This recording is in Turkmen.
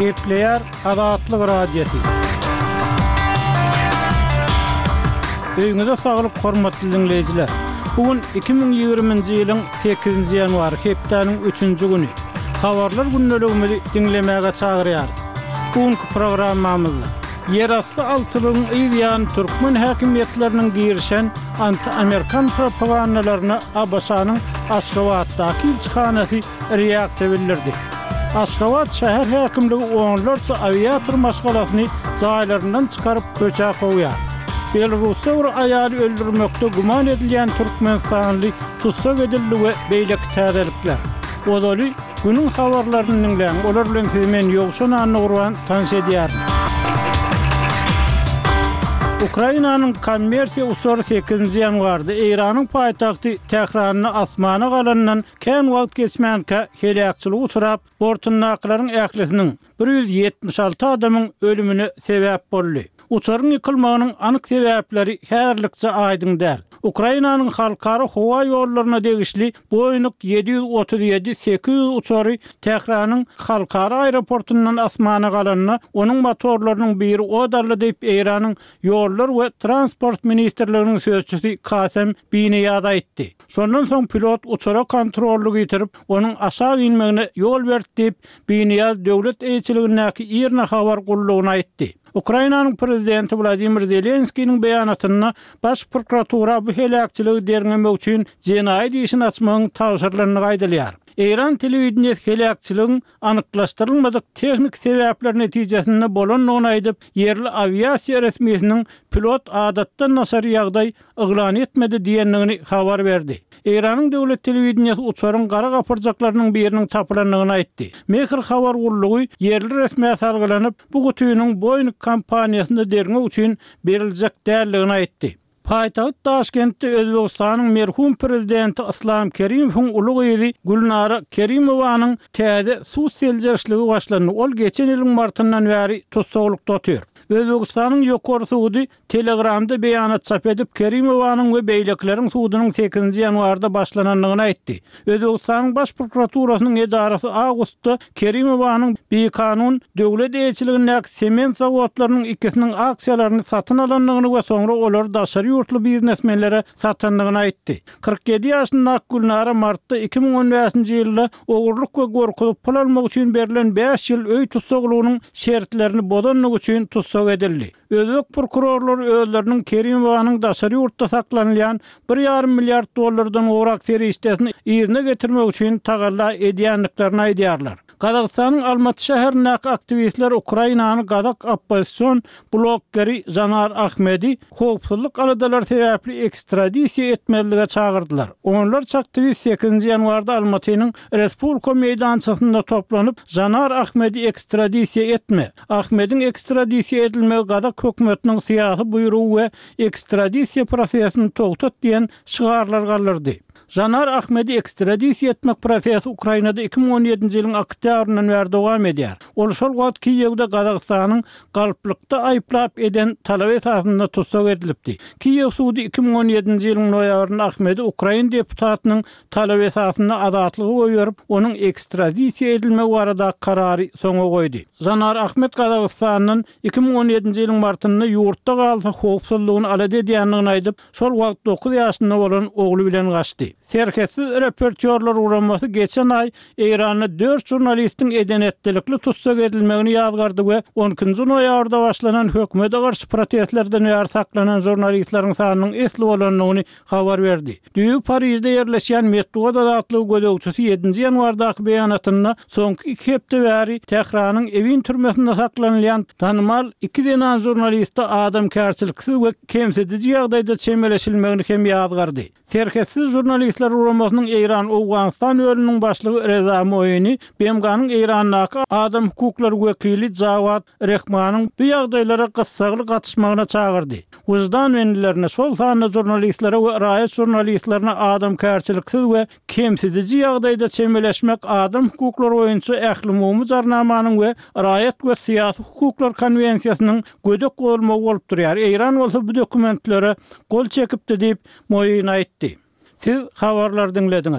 Gepleýär Azatlyk Radiosy. Öýüňize saglyk hormatly diňleýjiler! Bu gün 2020-nji ýylyň sekizinji ýanwary, hepdäniň üçünji güni. Habarlar gündeligimizi diňlemäge çagyrýarys. Bu günki programmamyzda Ýerasty altylygyň yz ýany türkmen häkimiýetleriniň girişen anti-amerikan propagandalaryna ABŞ-nyň Aşgabatdaky ilçihanasy reaksiýa bildirdi. Aşgabat şäher häkimligi onlarça awiator maşgalasyny jaýlaryndan çykaryp köçä kowýar. Belarusda bir aýaly öldürmekde güman edilýän türkmenistanly tussag edildi we beýleki täzelikler. Ozaly günüň habarlaryny diňläň, olar bilen sizi men Ýowşan Annagurban tanyş edýärin. Ukrainanyň kommersiýa uçary sekizinji ýanwarda Eýranyň paýtagty Tähranda asmana galanyndan Kän wagt geçmänkä heläkçilige uçrap, bortundakylaryň ählisiniň, 176 adamyň ölümine sebäp boldy. Uçaryň ýykylmagynyň anyk sebäpleri häzirlikçe aýdyň däl. Ukrainanyň halkara howa ýollaryna degişli Boeing 737 800 uçary Tähranyň halkara aeroportundan asmana galanda, onuň motorlarynyň biri ot aldy diýip, Eýranyň Ýollar we transport ministrliginiň sözçüsi Kasem Binyýaz aýtdy. Şondan soň pilot uçara kontrollygy ýitirip, onuň aşak inmegine ýol berdi diýip, Binyýaz döwlet eýeçiligindäki IRNA habar gullugyna aýtdy. Ukrainanyň prezidenti Wladimir Zelenskiniň beýanatynda Baş prokuratura bu heläkçiligi derňemek üçin jenaýat işini açmagyň tabşyrylandygy aýdylýar. Eýran telewideniýesi heläkçiligiň anyklaşdyrylmadyk tehniki sebäpler netijesinde bolandygyny aýdyp, ýerli awiasiýa resmisiniň pilot adatdan daşary ýagdaý yglan etmedi diýendigini habar berdi. Eýranyň döwlet telewideniýesi uçaryň gara gapyrjaklarynyň biriniň tapylandygyny aýtdy. Mehr habar gullugy ýerli resmä salgylanyp, bu gutynyň Boeing kompaniýasynda derňew üçin beriljek däldigini aýtdy. Paýtagt Daşkentde Özbegistanyň merhum prezidenti Yslam Kerimowyň uly gyzy Gülnara Kerimowanyň täze sud seljerişligi başlandy, ol geçen ýylyň martyndan bäri tussaglykda otyr. Özbegistanyň Ýokary sudy Telegramda beýanat çap edip, Kerimowanyň we beýlekileriň sudunyň sekizinji ýanwarda başlanandygyny aýtdy. Özbegistanyň Baş prokuraturasynyň edarasy awgustda Kerimowanyň bikanun döwlet eýeçiligindäki sement zawodlarynyň ikisiniň aksiýalaryny satyn alandygyny we soňra olary daşary ýurtly biznesmenlere satandygyny aýtdy. 47 ýaşyndaky Gülnara martda 2015-nji ýylda ogurlyk we gorkuzyp pul almak üçin berlen bäş ýyl öý tussaglygynyň şertlerini bozandygy üçin tussag edildi. Özbek prokurorlary özleriniň Kerimowanyň daşary ýurtda saklanylýan bir ýarym milliard dollardan gowrak serişdesini yzyna getirmek üçin tagalla edýändiklerini aýdýarlar. Gazagystanyň Almaty şäherindäki aktiwistler Ukrainany gazak oppozision bloggeri Žanar Ahmedi howpsuzlyk aladalary sebäpli ekstradisiýa etmezlige çagyrdylar. Onlarça aktiwist sekizinji ýanwarda Almatynyň Respublika meýdançasynda toplanyp, Žanar Ahmedi ekstradisiýa etme! Ahmediň ekstradisiýa edilmegi gazak hökümetiniň syýasy buýrugy we ekstradisiýa prosesini togtat diýen şygarlar galdyrdy. Žanar Ahmedi ekstradisiýa etmek prosesi Ukrainada 2017-nji ýylyň oktýabryndan bäri dowam edýär. Ol şol wagt Kiýewde Gazagystanyň galplykda aýyplap eden talaby esasynda tussag edilipdi. Kiýew sudy 2017-nji ýylyň noýabrynda Ahmedi ukrain deputatynyň Talaby esasynda azatlyga goýberip, onuň ekstradisiýa edilmegi baradaky karary soňa goýdy. Žanar Ahmet Gazagystandan 2017-nji ýylyň martynda ýurtda galsa howpsuzlygyny alada edýändigini aýdyp, şol wagt dokuz ýaşynda bolan ogly bilen gaçdy. Serhetsiz reportýorlar guramasy geçen aý Eýranda dört žurnalistiň eden-etdilikli tussag edilmegini ýazgardy we on ikinji noýabrda başlanan hökümete garşy protestlerden bäri saklanan žurnalistleriň sanynyň esli bolandygyny habar berdi. Düýbi Parižde ýerleşýän metbugat azatlygy gözegçisi ýedinji ýanwardaky beýanatynda soňky iki hepde bäri Tähranyň Ewin türmesinde saklanylýan tanymal iki zenan žurnaliste adamkärçiliksiz we kemsidiji ýagdaýda çemeleşilmegini hem ýazgardy. Serhetsiz žurnalistler guramasynyň Eýran-Owganystan bölüminiň başlygy Reza Moini BMG-niň Eýrandaky adam hukuklary wekili Jawad Rehmanyň bu ýagdaýlara gyssagly gatyşmagyna çagyrdy. Wyždan bendilerine, şol sanda žurnalistlere we raýat žurnalistlerine adamkärçiliksiz we kemsidiji ýagdaýda çemeleşmek adam hukuklary boýunça Ählumumy Jarnamanyň we Raýat we syýasy hukuklar konwensiýasynyň gödek bozulmagy bolup durýar, Eýran bolsa bu dokumentlere gol çekipdi diýip, Moin aýtdy. Siz habarlary diňlediňiz.